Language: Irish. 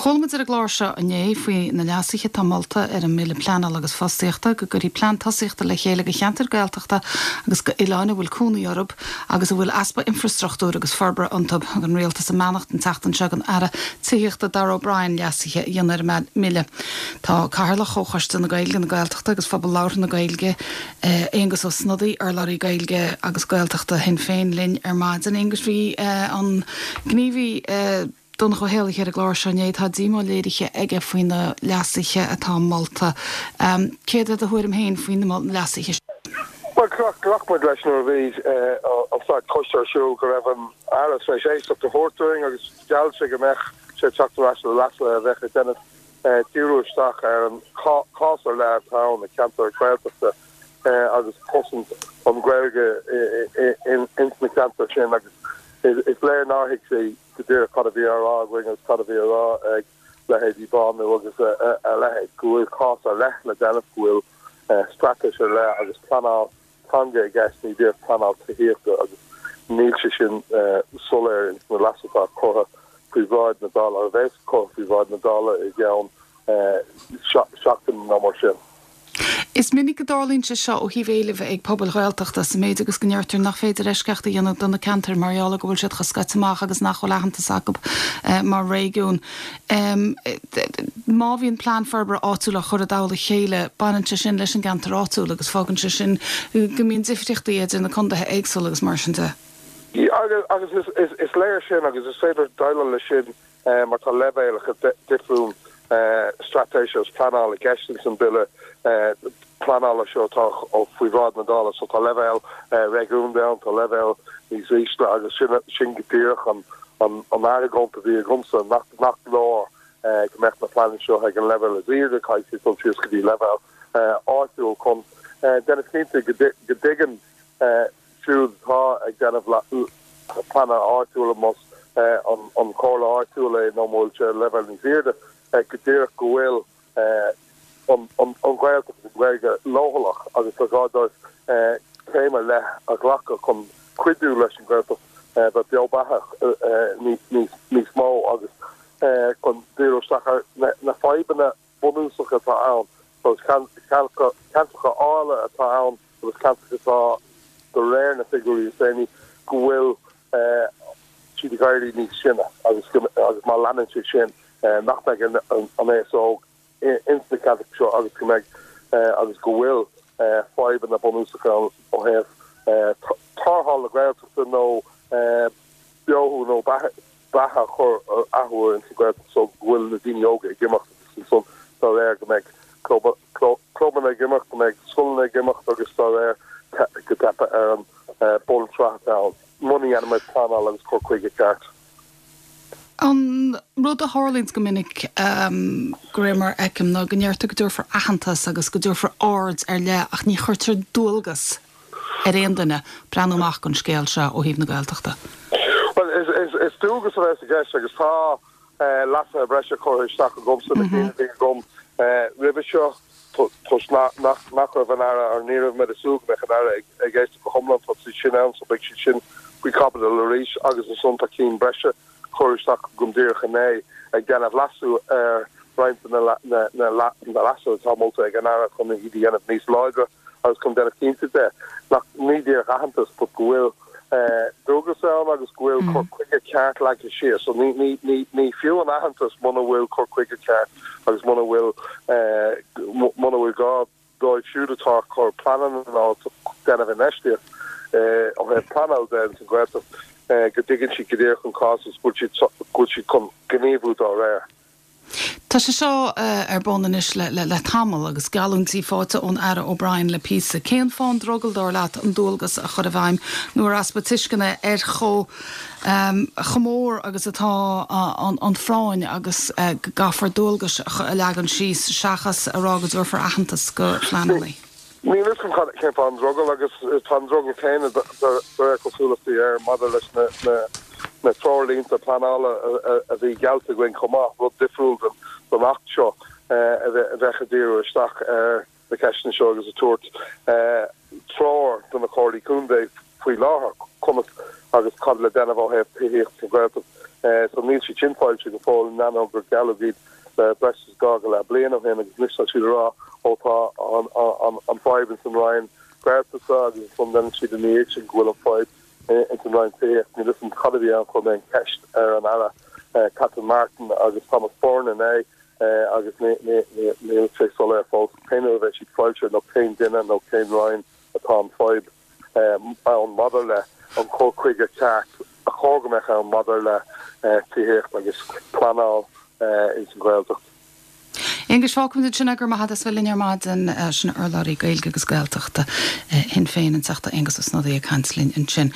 Chuala muid ar an gclár seo inné faoi na leasuithe atá molta ar an mBille Pleanála agus Fostaíochta go gcuirfí plean tosaíochta le chéile do cheantair Gaeltachta agus do oileáin a bhfuil cónaí orthu agus a bhfuil easpa infreastruchtúir agus forbartha iontu. Thug an Rialtas a mbeannacht an tseachtain seo don Aire Tithíochta Darragh O'Brien leasuithe a dhéanamh ar an mBille. Tá Cathaoirleach Chomhchoiste na Gaeilge, na Gaeltachta agus Phobal Labhartha na Gaeilge, Aengus Ó Snodaigh, urlabhraí Gaeilge agus Gaeltachta Shinn Féin linn ar maidin. Aengus, bhí an gníomhaí Donncha Ó hÉallaithe ar an gclár seo inné. Tá díomá léirithe aige faoi na leasuithe atá molta. Céard é do thuairim féin faoi na leasuithe sin? Bhuel, ghlac muid leis nuair a bhí an staid coiste ar siúl go raibh an Aire tar éis éisteacht a thabhairt dúinn agus gheall sé go mbeadh sé ag teacht ar ais le leasuithe a bheadh ag déanamh díriú isteach ar an chás ar leith atá ann i gceantar Gaeltachta agus cosaint an Ghaeilge ins na ceantair sin agus is léir nár thuig sé go díreach cad a bhí á rá againn agus cad a bhí á rá ag leithéidí Bánú agus a leithéid, go bhfuil cás ar leith le déanamh, go bhfuil straitéis ar leith agus pleanáil teanga i gceist, ní díreach pleanáil tithíochta agus níl sé sin soiléir ins na leasuithe atá curtha faoi bhráid na Dála, a bheas curtha faoi bhráid na Dála i gceann seachtain nó mar sin. Is minic go dtarlaíonn sé seo ó thaobh éilimh ag pobail Ghaeltachta, sa méid agus go ndeirtear nach féidir eisceacht a dhéanamh do na ceantair mar gheall ar go bhfuil siad chomh scoite amach agus nach bhfuil aitheantas acu mar réigiún. Má bhíonn plean forbartha áitiúil á chur i dtoll a chéile, baineann sé sin leis an gceantar áitiúil agus fágann sé sin go mbíonn difríochtaí idir na condaetha éagsúla agus mar sin de. Agus is léir sin agus is féidir déileáil leis sin mar tá leibhéalacha difriúil straitéise agus pleanála i gceist ins an Bille pleanála seo atá faoi bhráid na Dála. So tá leibhéal réigiúnda ann, tá leibhéal níos ísle agus sin go díreach an argóint a bhí agamsa, nach leor go mbeadh na pleananna seo ag an leibhéal is airde, caithfidh siad dul síos go dtí leibhéal áitiúil chun déanamh cinnte go dtuigeann siúd atá ag déanamh pleananna áitiúla, más an chomhairle áitiúil é nó má bhfuil sé ar leibhéal níos airde, go díreach go bhfuil an Ghaeltacht agus an Ghaeilge leochaileach agus gur gá dóibh céim ar leith a ghlacadh chun cuidiú leis an Ghaeltacht bheith beo beathach níos mó agus chun díriú isteach ar na fadhbanna bunúsacha atá ann, agus ceantracha áille atá ann agus ceantracha atá, de réir na figiúirí is déanaí, go bhfuil siad ag éirí níos sine agus agus má leanann sé sin nach mbeidh an aos óg ins na ceantracha seo agus go mbeidh agus go bhfuil fadhbanna bunúsacha ann ó thaobh tarrtháil na Gaeltachta nó beothú nó beatha beatha a chur athuair ins an Ghaeltacht so go bhfuil na daoine óga ag imeacht agus ansan dá réir go mbeidh clubanna ag imeacht, go mbeidh scoileanna ag imeacht agus dá réir go dteipfidh ar an bunsraith atá ann muna ndéanaimid pleanáil agus cur chuige ceart. An rud a tharlaíonns go minic, de réir mar a fheicim, ná go ndeirtear go dtabharfar aitheantas agus go dtabharfar aird ar leith ach ní chuirtear dualgas ar aon duine breathnú amach don scéal seo ó thaobh na Gaeltachta. Bhuel, is dualgas a bheas i gceist agus tá leasuithe breise curtha isteach agamsa, na cinn a bhí agam roimhe seo, toisc nach raibh an Aire, or ní raibh mé ag súil go mbeadh an Aire ag éisteacht go hiomlán, tá siad sin ann so beidh siad sin faoi chaibidil arís agus ansan tá cinn breise curtha isteach agam díreach inné ag déanamh leasú ar roinnt de na leasuithe atá molta ag an Aire chun iad a dhéanamh níos láidre. agus chun déanamh cinnte de nach ní díreach aitheantas but go bhfuil dualgas ann agus go bhfuil cur chuige ceart leagtha síos. So ní ní ní ní fiú an aitheantas muna bhfuil cur chuige ceart agus muna bhfuil muna bhfuil gá dóibh siúd atá ag cur pleananna nó déanamh infheistíocht ó thaobh pleanáil de ins an Ghaeltacht go dtuigeann siad go díreach an cás agus go bhfuil siad go bhfuil siad chun gníomhú dá réir. Tá sé seo ar bun anois le tamall agus geallúintí faighte ón Aire O'Brien le píosa. Cén fáth an drogall, dar leat, an dualgas a chur i bhfeidhm nó ar easpa tuisceana ar chomh chomh mór agus atá an phráinn agus go gcaithfear dualgais a leagan síos seachas a rá go dtabharfar aitheantas do phleananna? Níl a fhios agam cén fáth an drogall agus tá an drogall céanna de réir cosúlachtaí air maidir leis na treoirlínte pleanála a bhí geallta againn chomh maith, rud difriúil don Acht seo a bheadh ag díriú isteach ar na ceisteanna seo agus ag tabhairt treoir do na Comhairlí Contae faoi láthair conas agus cad le déanamh ó thaobh tithíocht sa Ghaeltacht. So níl siad sin foilsithe go fóill, in ainneoin gur gealladh iad le breis is dhá go leith bliain ó shin agus anois tá siad ag rá ó tá an fadhb ins an Roinn Gaeltachta agus ansan deireann siad ina dhiaidh sin go bhfuil an fadhb ins an Roinn Tithíochta. Níl 'fhios a'm cad a bhí ann, chuir mé an cheist ar an Aire Catherine Martin agus Thomas Byrne inné agus níl sé soiléir fós cén uair a bheidh siad foilsithe nó cén duine nó cén Roinn atá an fadhb ann maidir le an cur chuige ceart a chóir go mbeadh ann maidir le tithíocht agus pleanáil ins an Ghaeltacht. Aonghus, fágfaimid ansin é, go raibh maith agat as bheith linn ar maidin. Sin urlabhraí Gaeilge agus Gaeltachta Shinn Féin, an Teachta Aengus Ó Snodaigh ag caint linn ansin.